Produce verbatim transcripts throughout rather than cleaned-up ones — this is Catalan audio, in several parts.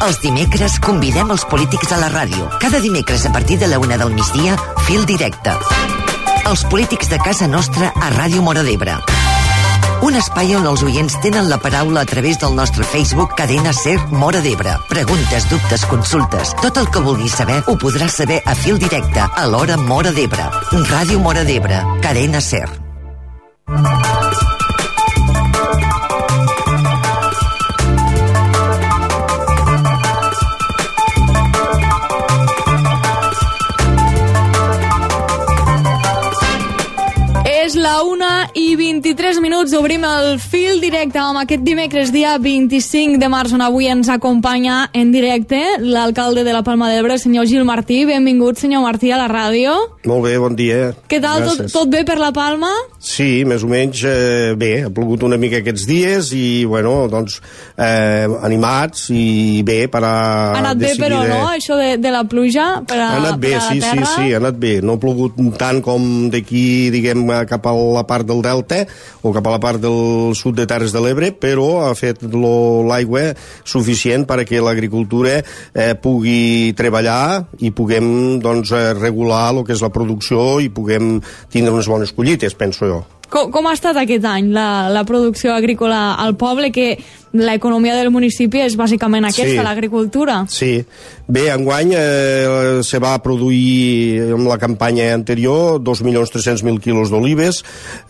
Els dimecres convidem els polítics a la ràdio. Cada dimecres a partir de la una del migdia, Fil Directe. Els polítics de casa nostra a Ràdio Móra d'Ebre. Un espai on els oients tenen la paraula a través del nostre Facebook Cadena Ser Móra d'Ebre. Preguntes, dubtes, consultes. Tot el que vulguis saber ho podràs saber a Fil Directe a l'hora Móra d'Ebre. Ràdio Móra d'Ebre. Cadena Ser. És la una i vint-i-tres minuts, obrim el Fil Directe amb aquest dimecres dia vint-i-cinc de març, on avui ens acompanya en directe l'alcalde de la Palma d'Ebre, el senyor Gil Martí. Benvingut, senyor Martí, a la ràdio. Molt bé, bon dia. Què tal, tot, tot bé per la Palma? Sí, més o menys eh, bé, ha plogut una mica aquests dies i, bueno, doncs, eh, animats i bé per a... Ha anat bé, però, no?, això de, de la pluja per a, ha anat bé, per a la sí, terra? sí, sí, ha anat bé. No ha plogut tant com d'aquí, diguem, cap a la part del Delta o cap a la part del sud de Terres de l'Ebre, però ha fet l'aigua suficient perquè l'agricultura eh, pugui treballar i puguem, doncs, regular el que és la producció i puguem tindre unes bones collites, penso jo. Com, com ha estat aquest any la, la producció agrícola al poble, que l'economia del municipi és bàsicament aquesta, sí, l'agricultura? Sí. Bé, enguany eh, se va produir en la campanya anterior dos milions tres-cents mil quilos d'olives,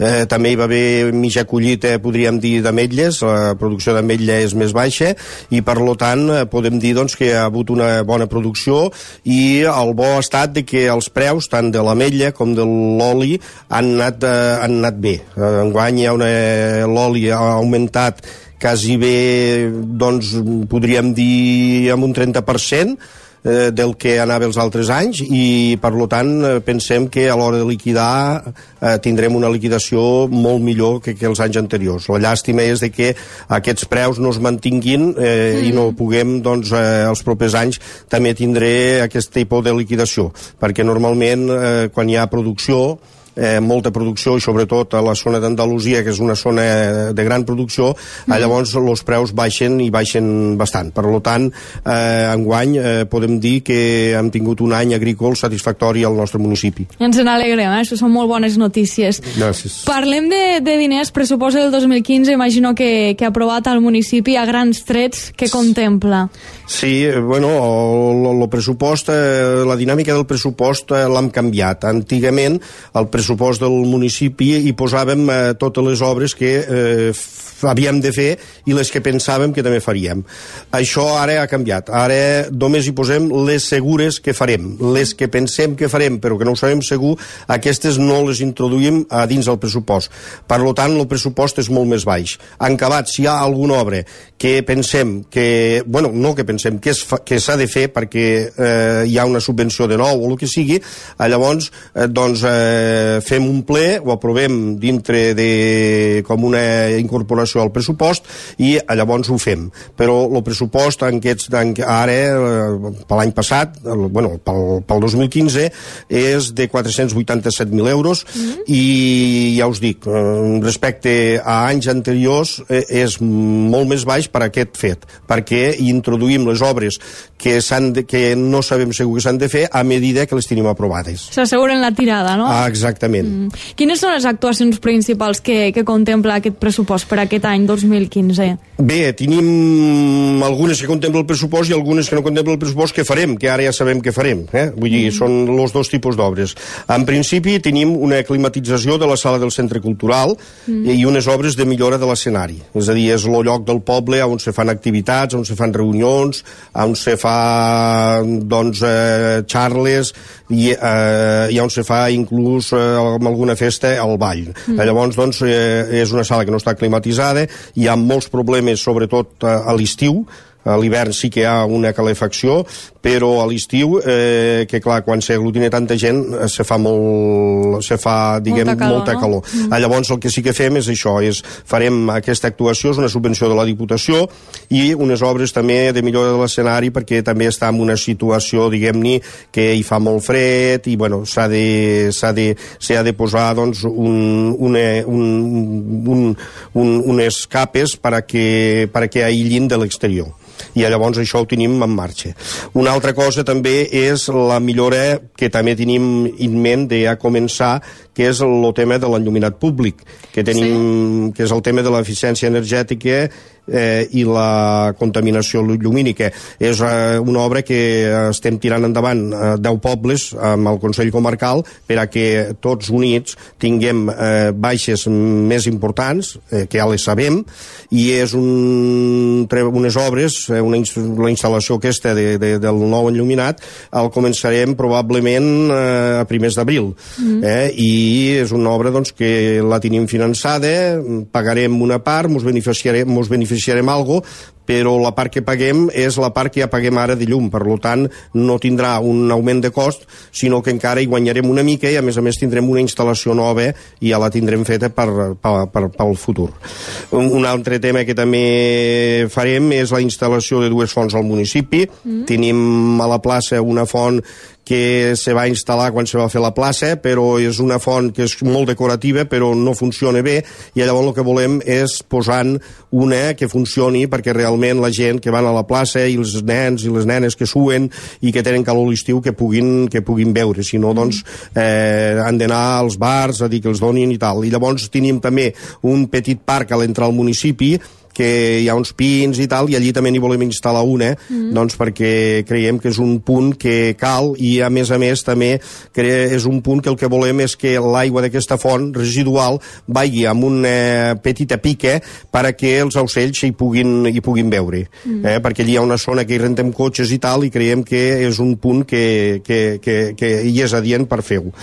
eh, també hi va haver mitja collita, podríem dir, d'ametlles, la producció d'ametlla és més baixa i per lo tant podem dir, doncs, que hi ha hagut una bona producció i el bo ha estat de que els preus tant de l'ametlla com de l'oli han anat, eh, han anat bé. Enguany hi ha una, l'oli ha augmentat quasi bé, doncs, podríem dir, amb un trenta per cent eh, del que anava els altres anys i, per tant, pensem que a l'hora de liquidar eh, tindrem una liquidació molt millor que, que els anys anteriors. La llàstima és de que aquests preus no es mantinguin eh, mm. i no puguem, doncs, eh, els propers anys també tindré aquest tipus de liquidació, perquè normalment eh, quan hi ha producció, Eh, molta producció i sobretot a la zona d'Andalusia, que és una zona de gran producció, mm. eh, llavors els preus baixen i baixen bastant. Per tant, eh, enguany eh, podem dir que hem tingut un any agrícola satisfactori al nostre municipi. Ens n'alegrem, eh? Això són molt bones notícies. Gràcies. Parlem de, de diners, pressupost del dos mil quinze, imagino que, que ha aprovat al municipi a grans trets, que contempla? Sí, bueno, el, el pressupost, eh, la dinàmica del pressupost eh, l'hem canviat. Antigament, el pressupost pressupost del municipi i posàvem eh, totes les obres que eh, havíem de fer i les que pensàvem que també faríem. Això ara ha canviat. Ara només hi posem les segures que farem. Les que pensem que farem però que no ho sabem segur, aquestes no les introduïm a dins del pressupost. Per tant, el pressupost és molt més baix. En acabat, si hi ha alguna obra que pensem que, bueno, no que pensem que, fa, que s'ha de fer perquè eh, hi ha una subvenció de nou o el que sigui, eh, llavors eh, doncs eh, fem un ple, ho aprovem dintre de com una incorporació al pressupost i llavors ho fem. Però el pressupost en aquests, en, ara, per l'any passat, el, bueno, pel, pel dos mil quinze, és de quatre-cents vuitanta-set mil euros mm-hmm. i ja us dic, respecte a anys anteriors eh, és molt més baix per aquest fet, perquè introduïm les obres que, de, que no sabem segur que s'han de fer a medida que les tenim aprovades. S'asseguren la tirada, no? Ah, exactament. Mm. Quines són les actuacions principals que, que contempla aquest pressupost per aquest any dos mil quinze? Bé, tenim algunes que contempla el pressupost i algunes que no contempla el pressupost que farem, que ara ja sabem que farem. Eh? Vull dir, mm. són els dos tipus d'obres. En principi tenim una climatització de la sala del centre cultural mm. i unes obres de millora de l'escenari. És a dir, és el lloc del poble on se fan activitats, on se fan reunions, on se fa, doncs, eh, xarles i, eh, i on se fa inclús eh, amb alguna festa al ball. Mm. Llavors, doncs, eh, és una sala que no està climatitzada, hi ha molts problemes, sobretot a l'estiu, a l'hivern sí que hi ha una calefacció, però a l'estiu, eh, que clar, quan s'aglutina tanta gent, eh, se fa molt, se fa, diguem, molta calor. Molta calor. No? Mm. Llavors, el que sí que fem és això, és farem aquesta actuació, és una subvenció de la Diputació, i unes obres també de millora de l'escenari, perquè també està en una situació, diguem-ne, que hi fa molt fred, i bueno, s'ha de, s'ha de, s'ha de posar, doncs, un, una, un, un, un, unes capes perquè, perquè aïllin de l'exterior, i llavors això ho tenim en marxa. Una altra cosa també és la millora que també tenim en ment de ja començar, que és el tema de l'enlluminat públic, que tenim, sí. que és el tema de l'eficiència energètica eh, i la contaminació llumínica. És eh, una obra que estem tirant endavant a deu pobles amb el Consell Comarcal per a que tots units tinguem eh, baixes més importants, eh, que ja les sabem, i és un, unes obres, eh, una, la instal·lació aquesta de, de, del nou enlluminat, el començarem probablement eh, a primers d'abril. Mm. Eh, i és una obra, doncs, que la tenim finançada, pagarem una part, mos beneficiarem, mos beneficiarem algo, però la part que paguem és la part que ja paguem ara de llum, per tant no tindrà un augment de cost, sinó que encara hi guanyarem una mica, i a més a més tindrem una instal·lació nova i ja la tindrem feta per, per, per, pel futur. Un, un altre tema que també farem és la instal·lació de dues fonts al municipi. Mm. Tenim a la plaça una font que se va instal·lar quan se va fer la plaça, però és una font que és molt decorativa, però no funciona bé, i llavors el que volem és posar una que funcioni, perquè realment la gent que van a la plaça, i els nens i les nenes que suen i que tenen calor a l'estiu, que puguin, que puguin veure, si no, doncs eh, han d'anar als bars a dir que els donin i tal. I llavors tenim també un petit parc a l'entrar al municipi, que hi ha uns pins i tal, i allí també n'hi volem instal·lar una, mm. doncs perquè creiem que és un punt que cal, i a més a més també és un punt que el que volem és que l'aigua d'aquesta font residual vagi amb una petita pica perquè els ocells hi puguin, hi puguin veure, mm. eh? perquè allí hi ha una zona que hi rentem cotxes i tal, i creiem que és un punt que, que, que, que hi és adient per fer-ho.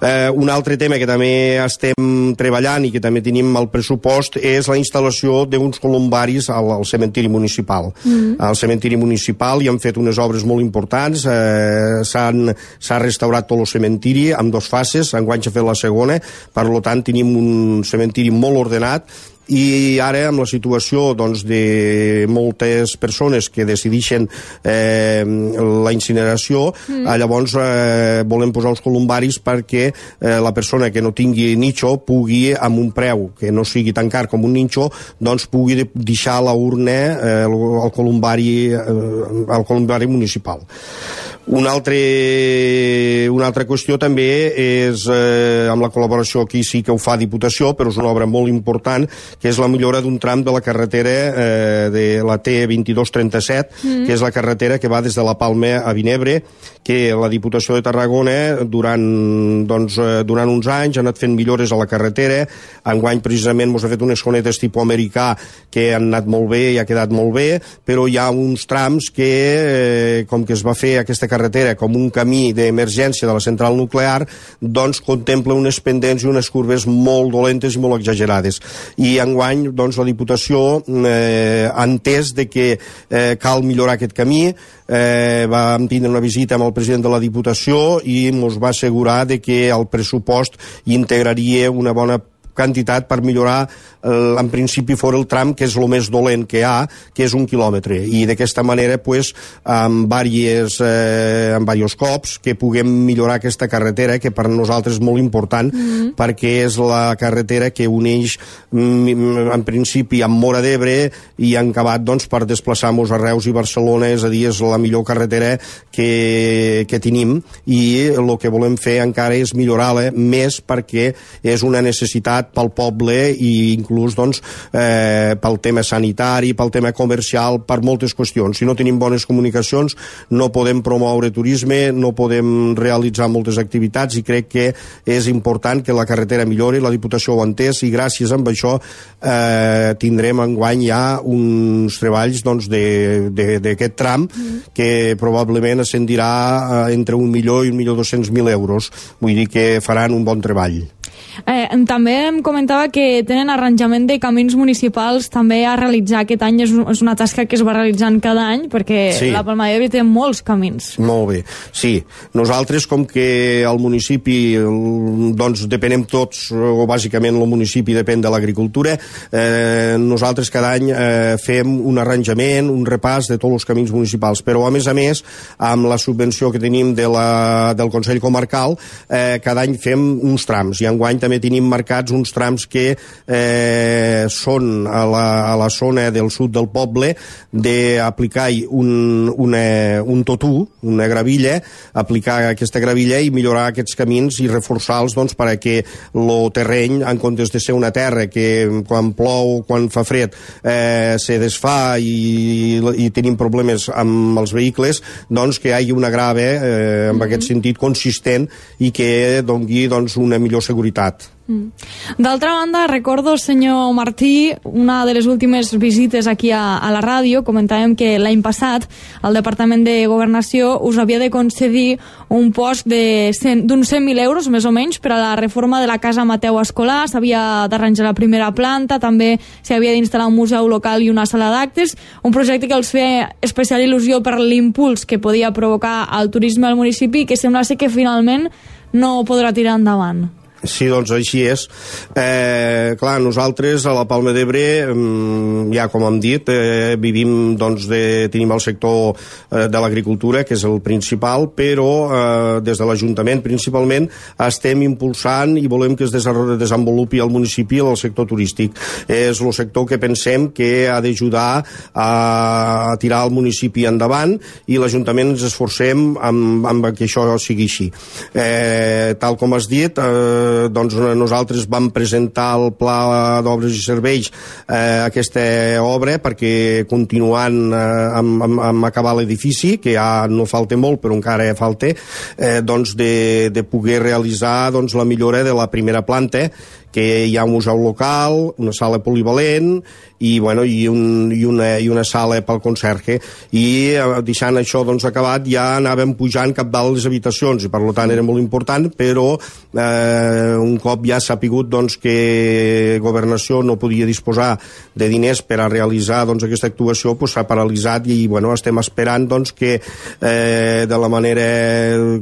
Eh, un altre tema que també estem treballant i que també tenim al pressupost és la instal·lació d'uns columbaris al, al cementiri municipal. Mm. Al cementiri municipal hi han fet unes obres molt importants, eh, s'ha restaurat tot el cementiri amb dos fases, enguany s'ha fet la segona, per tant tenim un cementiri molt ordenat, i ara amb la situació, doncs, de moltes persones que decideixen eh, la incineració, mm. eh, llavors eh, volem posar uns columbaris perquè eh, la persona que no tingui nicho pugui, amb un preu que no sigui tan car com un nicho, doncs pugui deixar la urna eh, al columbari, eh, al columbari municipal. Una, altre, una altra qüestió també és, eh, amb la col·laboració, aquí sí que ho fa Diputació, però és una obra molt important, que és la millora d'un tram de la carretera eh, de la T vint dos trenta-set, mm. que és la carretera que va des de la Palma a Vinebre, que la Diputació de Tarragona durant, doncs, eh, durant uns anys ha anat fent millores a la carretera. Enguany precisament mos ha fet unes conetes tipus americà que han anat molt bé i ha quedat molt bé, però hi ha uns trams que, eh, com que es va fer aquesta carretera com un camí d'emergència de la central nuclear, doncs contempla unes pendents i unes curves molt dolentes i molt exagerades. I enguany, doncs, la Diputació eh, ha entès de que eh, cal millorar aquest camí. Eh, vam tindre una visita amb el president de la Diputació i ens va assegurar de que el pressupost integraria una bona quantitat per millorar, eh, en principi fora el tram que és el més dolent que hi ha, que és un quilòmetre, i d'aquesta manera pues, amb diversos eh, amb diversos cops que puguem millorar aquesta carretera, que per nosaltres és molt important, mm-hmm. perquè és la carretera que uneix mm, en principi amb Móra d'Ebre i en acabat doncs, per desplaçar-nos a Reus i Barcelona, és a dir, és la millor carretera que, que tenim, i el que volem fer encara és millorar-la més, perquè és una necessitat pel poble i inclús doncs, eh, pel tema sanitari, pel tema comercial, per moltes qüestions. Si no tenim bones comunicacions no podem promoure turisme, no podem realitzar moltes activitats, i crec que és important que la carretera millori. La Diputació ho ha entès i gràcies a això eh, tindrem enguany ja uns treballs doncs, d'aquest tram mm. que probablement ascendirà entre un milió i un milió dos-cents mil euros. Vull dir que faran un bon treball. Eh, també em comentava que tenen arranjament de camins municipals també a realitzar aquest any. És, és una tasca que es va realitzant cada any, perquè sí. La Palma d'Ebre té molts camins. Molt bé, sí. Nosaltres, com que al municipi doncs depenem tots, o bàsicament el municipi depèn de l'agricultura, eh, nosaltres cada any eh, fem un arranjament, un repàs de tots els camins municipals, però a més a més, amb la subvenció que tenim de la, del Consell Comarcal, eh, cada any fem uns trams, i enguany també tenim marcats uns trams que eh, són a la, a la zona del sud del poble, d'aplicar un, una, un totú, una gravilla, aplicar aquesta gravilla i millorar aquests camins i reforçar-los doncs, perquè el terreny, en comptes de ser una terra que quan plou, quan fa fred, eh, se desfà i, i tenim problemes amb els vehicles, doncs que hi hagi una grava eh, en mm-hmm. aquest sentit consistent i que doni doncs, una millor seguretat. D'altra banda, recordo, senyor Martí, una de les últimes visites aquí a, a la ràdio, comentàvem que l'any passat el Departament de Governació us havia de concedir un post d'uns cent mil euros, més o menys, per a la reforma de la Casa Mateu Escolar. S'havia d'arranjar la primera planta, també s'hi havia d'instal·lar un museu local i una sala d'actes, un projecte que els feia especial il·lusió per l'impuls que podia provocar el turisme al municipi, que sembla ser que finalment no podrà tirar endavant. Sí, doncs així és. Eh, clar, nosaltres a la Palma d'Ebre, ja com hem dit, eh, vivim, doncs, de, tenim el sector eh, de l'agricultura, que és el principal, però eh, des de l'Ajuntament principalment estem impulsant i volem que es desenvolupi al municipi el sector turístic. És el sector que pensem que ha d'ajudar a, a tirar el municipi endavant, i l'Ajuntament ens esforcem amb, amb que això sigui així. Eh, tal com has dit, eh, doncs nosaltres vam presentar el pla d'obres i serveis eh, aquesta obra perquè continuant eh, amb, amb, amb acabar l'edifici, que ja no falta molt però encara falta, eh, doncs de, de poder realitzar doncs, la millora de la primera planta, que hi ha un museu local, una sala polivalent i, bueno, i, un, i, una, i una sala pel conserge, i eh, deixant això doncs, acabat ja anàvem pujant cap dalt les habitacions, i per tant era molt important, però eh, un cop ja s'ha sapigut doncs, que Governació no podia disposar de diners per a realitzar doncs, aquesta actuació, doncs, s'ha paralitzat, i bueno, estem esperant doncs, que eh, de la manera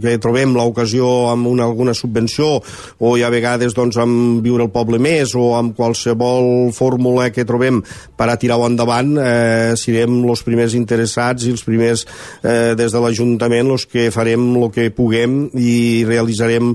que trobem l'ocasió amb una, alguna subvenció, o ja a vegades doncs, amb Viure el Poble Més, o amb qualsevol fórmula que trobem per a tirar-ho endavant, eh, serem els primers interessats i els primers eh, des de l'Ajuntament els que farem el que puguem i realitzarem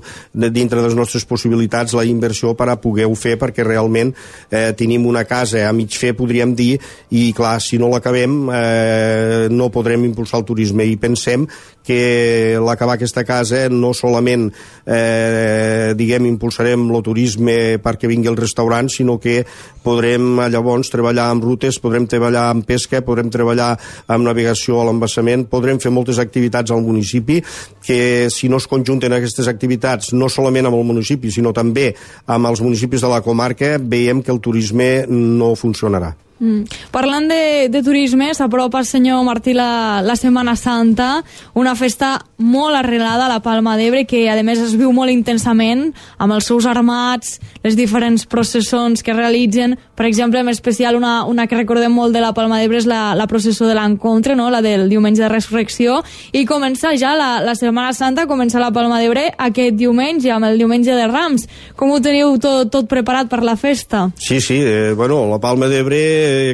dintre de les nostres possibilitats la inversió per a poder-ho fer, perquè realment eh, tenim una casa a mig fer, podríem dir, i clar, si no l'acabem eh, no podrem impulsar el turisme, i pensem que l'acabar aquesta casa no solament eh, diguem impulsarem el turisme perquè vingui el restaurant, sinó que podrem llavors treballar amb rutes, podrem treballar amb pesca, podrem treballar amb navegació a l'embassament, podrem fer moltes activitats al municipi, que si no es conjunten aquestes activitats no solament amb el municipi, sinó també amb els municipis de la comarca, veiem que el turisme no funcionarà. Mm. Parlant de, de turisme, s'apropa, senyor Martí, la, la Setmana Santa, una festa molt arrelada a la Palma d'Ebre, que a més es viu molt intensament amb els seus armats, les diferents processons que realitzen. Per exemple, en especial una, una que recordem molt de la Palma d'Ebre és la, la processó de l'Encontre, no? La del diumenge de Resurrecció, i comença ja la, la Setmana Santa, comença la Palma d'Ebre aquest diumenge, amb el diumenge de Rams. Com ho teniu tot, tot preparat per la festa? Sí, sí, eh, bueno, la Palma d'Ebre,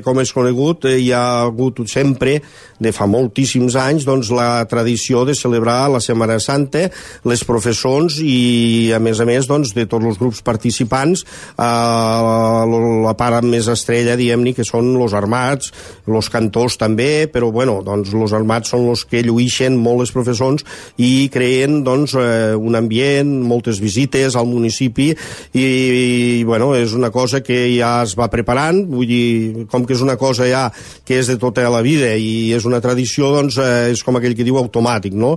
com és conegut, eh, hi ha hagut sempre, de fa moltíssims anys, doncs, la tradició de celebrar la Setmana Santa, les professons i, a més a més, doncs, de tots els grups participants, eh, la part més estrella, diguem-ne, que són els armats, els cantors també, però, bueno, doncs, els armats són els que lluïxen molt les professons i creen, doncs, eh, un ambient, moltes visites al municipi, i, i, bueno, és una cosa que ja es va preparant, vull dir, com que és una cosa ja que és de tota la vida i és una tradició, doncs eh, és com aquell que diu automàtic, no?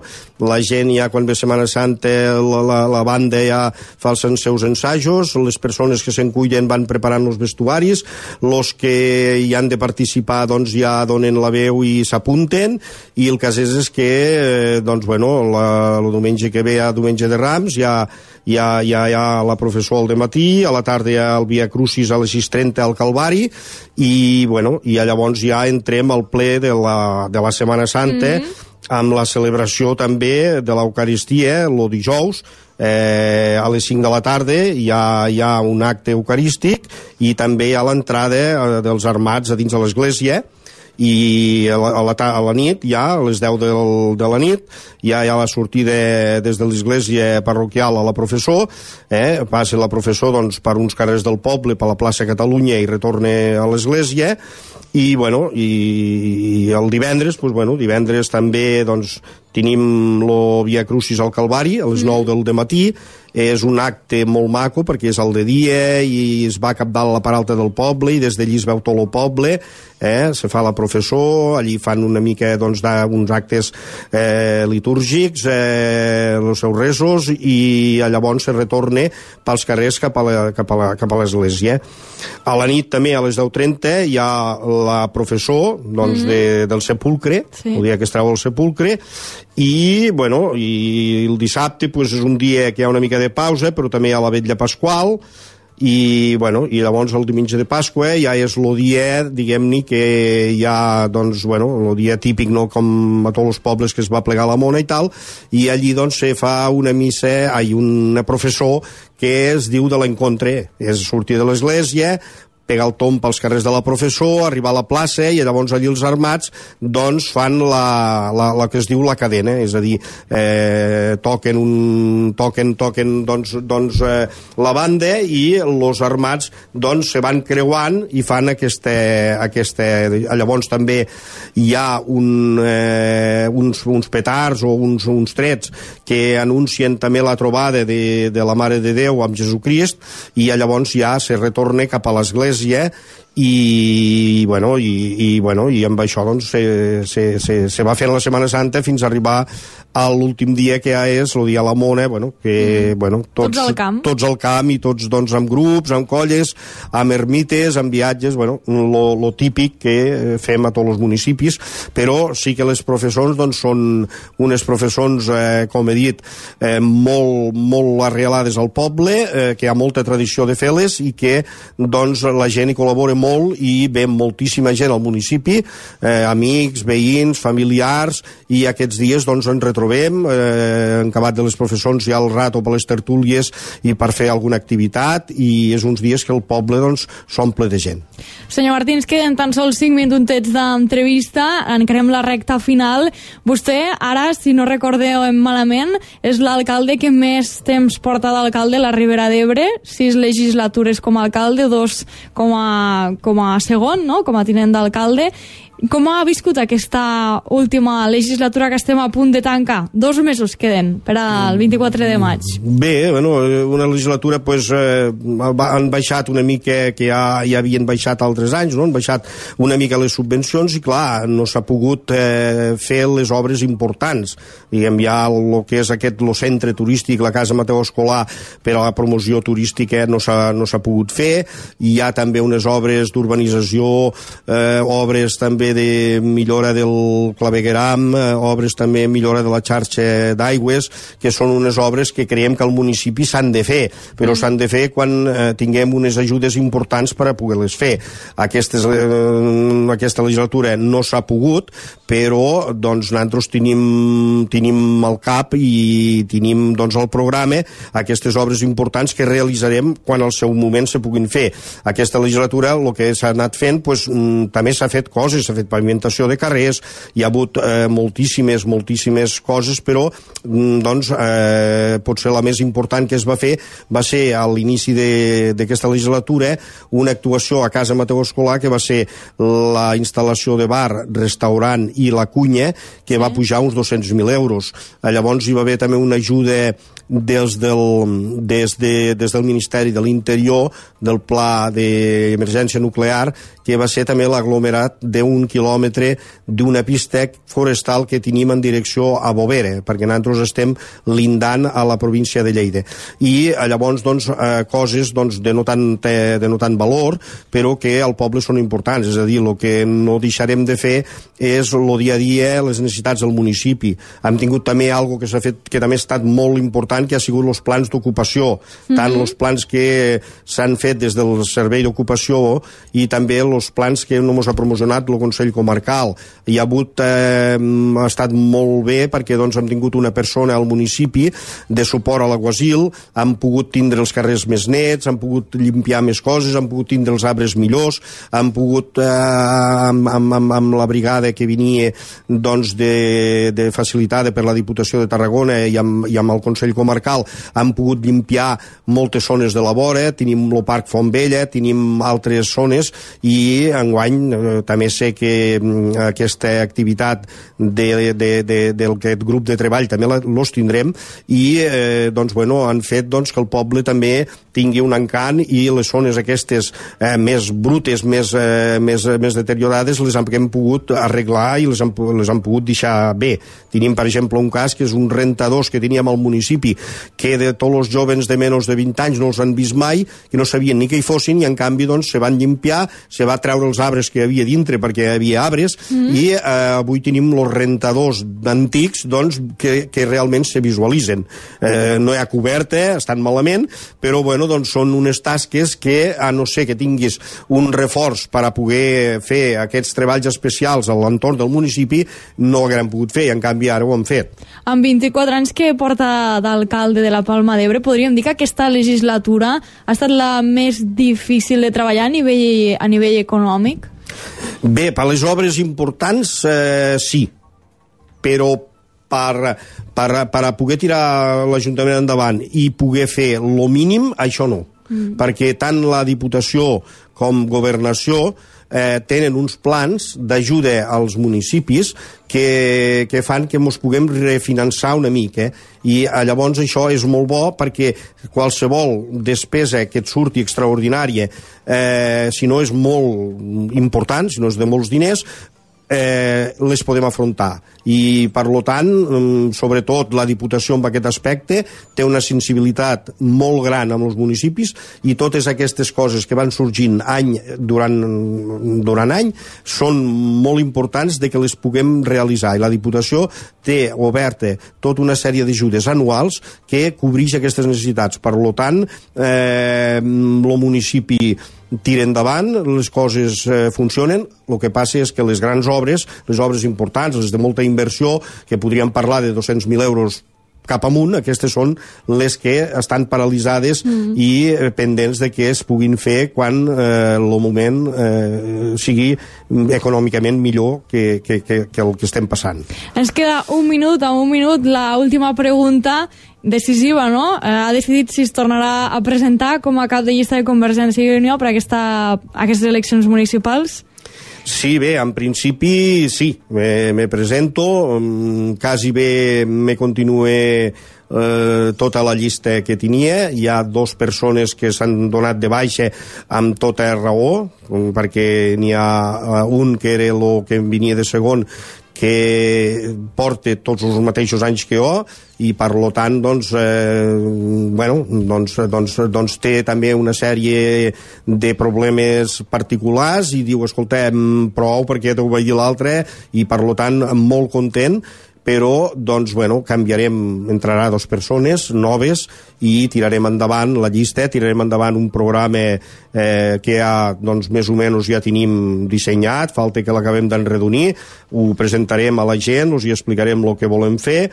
La gent ja quan ve Setmana Santa, la, la, la banda ja fa els seus ensajos, les persones que se'n cuiden van preparant els vestuaris, els que hi han de participar doncs ja donen la veu i s'apunten, i el cas és, és que eh, doncs bueno, la, el diumenge que ve a diumenge de Rams ja, hi ha, hi ha, hi ha la processó al dematí, a la tarda hi ha el Via Crucis a les sis trenta al Calvari, i, bueno, i llavors ja entrem al ple de la, de la Setmana Santa, mm-hmm. amb la celebració també de l'Eucaristia, el dijous, eh, a les cinc de la tarda hi ha, hi ha un acte eucarístic i també hi ha l'entrada dels armats a dins de l'església, i a la, a, la, a la nit, ja a les deu del, de la nit, ja hi ha la sortida des de l'església parroquial a la processó, eh? Passa la processó doncs, per uns carrers del poble, per la plaça Catalunya, i retorna a l'església, i, bueno, i, i el divendres, doncs, bueno, divendres també doncs, tenim el Via Crucis al Calvari a les nou del dematí. És un acte molt maco perquè és al de dia i es va cap dalt a la part alta del poble i des d'allí es veu tot el poble, eh? Se fa la processó, allí fan una mica doncs, uns actes eh, litúrgics, eh, els seus resos, i llavors se retorna pels carrers cap a, la, cap a, la, cap a l'església. A la nit també a les deu trenta hi ha la processó doncs, mm-hmm. de, del sepulcre, sí. El dia que es treu el sepulcre, i, bueno, i el dissabte pues, és un dia que hi ha una mica de pausa, però també hi ha la vetlla pasqual, i, bueno, i llavors el diumenge de Pasqua ja és el dia, diguem-ne, que hi ha, doncs, bueno, el dia típic, no?, com a tots els pobles que es va plegar la mona i tal, i allí, doncs, se fa una missa, ai, una professó que es diu de l'encontre, és sortir de l'església, pegar el tomb pels carrers de la professó, arribar a la plaça, i llavors allí els armats doncs fan la, la, la que es diu la cadena, és a dir, eh, toquen un, toquen, toquen doncs, doncs eh, la banda, i els armats doncs se van creuant i fan aquesta, aquesta... Llavors també hi ha un, eh, uns, uns petards o uns, uns trets que anuncien també la trobada de, de la Mare de Déu amb Jesucrist, i llavors ja se retorna cap a l'església, i, bueno, i, i, bueno, i amb això doncs, se, se, se, se va fent la Setmana Santa fins a arribar a l'últim dia, que ja és el dia de la Mona, bueno, que, mm. bueno, tots, tots al camp. Tots al camp, i tots doncs, amb grups, amb colles, amb ermites, amb viatges, bueno, lo, lo típic que fem a tots els municipis, però sí que les professons doncs, són unes professons, eh, com he dit, eh, molt, molt arrelades al poble, eh, que hi ha molta tradició de fer-les, i que doncs, la gent hi col·labora molt, i ve moltíssima gent al municipi, eh, amics, veïns, familiars, i aquests dies doncs, en retrobem trobem, eh, en acabat de les professons hi ha el rato per les tertúlies i per fer alguna activitat, i és uns dies que el poble doncs s'omple de gent. Senyor Martins, queden tan sols cinc minutets d'entrevista, encarem la recta final. Vostè, ara, si no recordeu malament, és l'alcalde que més temps porta d'alcalde a la Ribera d'Ebre, sis legislatures com a alcalde, dos com a, com a segon, no?, com a tinent d'alcalde. Com ha viscut aquesta última legislatura que estem a punt de tancar? Dos mesos queden per al vint-i-quatre de maig. Bé, bueno, una legislatura pues, eh, han baixat una mica, que ja, ja havien baixat altres anys, no? Han baixat una mica les subvencions, i clar, no s'ha pogut eh, fer les obres importants. Diguem, ja el que és aquest el centre turístic, la Casa Mateu Escolà, per a la promoció turística no s'ha no s'ha pogut fer. Hi ha també unes obres d'urbanització, eh, obres també de millora del clavegueram, eh, obres també millora de la xarxa d'aigües, que són unes obres que creiem que al municipi s'han de fer, però mm. s'han de fer quan eh, tinguem unes ajudes importants per a poder-les fer. Aquestes, eh, aquesta legislatura no s'ha pogut, però doncs, nosaltres tenim, tenim al cap i tenim doncs, al programa aquestes obres importants que realitzarem quan al seu moment se puguin fer. Aquesta legislatura el que s'ha anat fent pues, també s'ha fet coses, s'ha fet pavimentació de carrers, hi ha hagut eh, moltíssimes, moltíssimes coses, però doncs, eh, potser la més important que es va fer va ser a l'inici d'aquesta legislatura una actuació a Casa Mateu Escolà, que va ser la instal·lació de bar, restaurant i la cunya, que va pujar uns dos-cents mil euros. Llavors hi va haver també una ajuda des del, des, de, des del Ministeri de l'Interior, del Pla d'Emergència Nuclear, que va ser també l'aglomerat d'un un quilòmetre d'una pista forestal que tenim en direcció a Bovera, perquè nosaltres estem lindant a la província de Lleida. I llavors, doncs, eh, coses doncs, de, no tant, de no tant valor, però que al poble són importants. És a dir, el que no deixarem de fer és el dia a dia, les necessitats del municipi. Hem tingut també algo que s'ha fet, que també ha estat molt important, que ha sigut els plans d'ocupació, mm-hmm. tant els plans que s'han fet des del Servei d'Ocupació i també els plans que no ens ha promocionat el Consell Comarcal. Hi ha hagut, eh, ha estat molt bé perquè doncs, hem tingut una persona al municipi de suport a l'aguasil, han pogut tindre els carrers més nets, han pogut limpiar més coses, han pogut tindre els arbres millors, han pogut, eh, amb, amb, amb, amb la brigada que venia doncs, de, de facilitada per la Diputació de Tarragona i amb, i amb el Consell Comarcal, han pogut limpiar moltes zones de la vora, tenim el Parc Font Vella, tenim altres zones i enguany eh, també sé que mm, aquesta activitat de, de, de, d'aquest grup de treball també los tindrem i eh, doncs, bueno, han fet doncs, que el poble també tingui un encant i les zones aquestes eh, més brutes, més, eh, més, més deteriorades les hem, hem pogut arreglar i les hem, les hem pogut deixar bé. Tenim, per exemple, un cas que és un rentadors que teníem al municipi que de tots els joves de menys de vint anys no els han vist mai, que no sabien ni que hi fossin i en canvi doncs, se van llimpiar, se va treure els arbres que hi havia dintre perquè hi havia arbres mm. i eh, avui tenim els rentadors antics doncs, que, que realment se visualitzen. Eh, no hi ha coberta, estan malament, però bueno, doncs, són unes tasques que, a no ser que tinguis un reforç per a poder fer aquests treballs especials a l'entorn del municipi, no ho haguem pogut fer i en canvi ara ho hem fet. Amb vint-i-quatre anys que porta d'alcalde de la Palma d'Ebre, podríem dir que aquesta legislatura ha estat la més difícil de treballar a nivell, a nivell econòmic? Bé, per les obres importants eh, sí, però per, per, per a poder tirar l'Ajuntament endavant i poder fer lo mínim, això no. Mm. Perquè tant la Diputació com Governació eh, tenen uns plans d'ajuda als municipis que, que fan que ens puguem refinançar una mica. I eh, llavors això és molt bo perquè qualsevol despesa que et surti extraordinària, eh, si no és molt important, si no és de molts diners, eh, les podem afrontar. I, per lo tant, sobretot la Diputació en aquest aspecte té una sensibilitat molt gran amb els municipis i totes aquestes coses que van sorgint any durant, durant any són molt importants de que les puguem realitzar. I la Diputació té oberta tota una sèrie d'ajudes anuals que cobreix aquestes necessitats. Per lo tant, eh, el municipi tira endavant, les coses eh, funcionen. El que passa és que les grans obres, les obres importants, les de molta inversió, que podríem parlar de dos-cents mil euros cap amunt, aquestes són les que estan paralitzades mm. i eh, pendents de que es puguin fer quan eh, el moment eh, sigui econòmicament millor que, que, que, que el que estem passant. Ens queda un minut, a un minut, la última pregunta decisiva, no? Eh, ha decidit si es tornarà a presentar com a cap de llista de Convergència i Unió per a aquesta, aquestes eleccions municipals? Sí, bé, en principi sí, me, me presento, quasi bé me continue eh, tota la llista que tenia. Hi ha dos persones que s'han donat de baixa amb tota raó, perquè n'hi ha un que era el que venia de segon, que porta tots els mateixos anys que jo i per lo tant doncs, eh, bueno, doncs, doncs, doncs té també una sèrie de problemes particulars i diu, escoltem, prou perquè t'ho veia l'altre i per lo tant molt content, però doncs, bueno, canviarem, entrarà dos persones noves i tirarem endavant la llista, tirarem endavant un programa eh, que ja, doncs, més o menys ja tenim dissenyat, falta que l'acabem d'enredonir, ho presentarem a la gent, us hi explicarem el que volem fer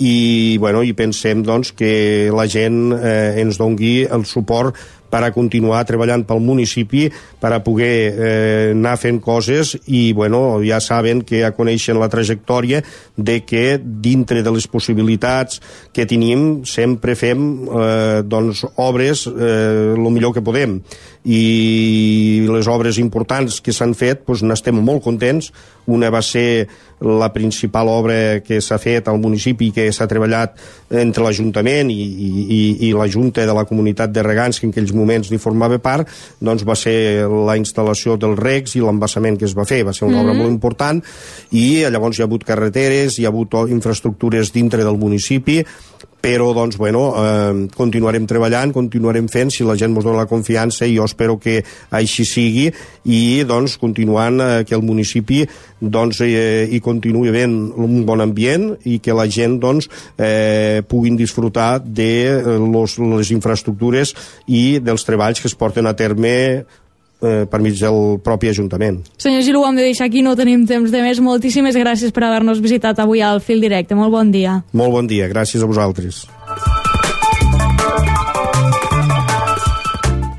i, bueno, i pensem doncs, que la gent eh, ens dongui el suport per a continuar treballant pel municipi, per a poder eh, anar fent coses i, bueno, ja saben que ja coneixen la trajectòria de que dintre de les possibilitats que tenim sempre fem eh, doncs, obres eh, el millor que podem i les obres importants que s'han fet doncs, n'estem molt contents. Una va ser la principal obra que s'ha fet al municipi, que s'ha treballat entre l'Ajuntament i, i, i la Junta de la Comunitat de Regants, que en aquells moments moments ni formava part, doncs va ser la instal·lació dels recs i l'embassament que es va fer. Va ser una mm-hmm. obra molt important i llavors hi ha hagut carreteres, hi ha hagut infraestructures dintre del municipi, però doncs, bueno, eh, continuarem treballant, continuarem fent, si la gent ens dona la confiança, i jo espero que així sigui, i doncs continuant eh, que el municipi doncs, eh, hi continuï havent un bon ambient i que la gent doncs, eh, puguin disfrutar de eh, los, les infraestructures i dels treballs que es porten a terme eh, per mig del propi Ajuntament. Senyor Gil, ho hem de deixar aquí, no tenim temps de més. Moltíssimes gràcies per haver-nos visitat avui al Fil Directe. Molt bon dia. Molt bon dia, gràcies a vosaltres.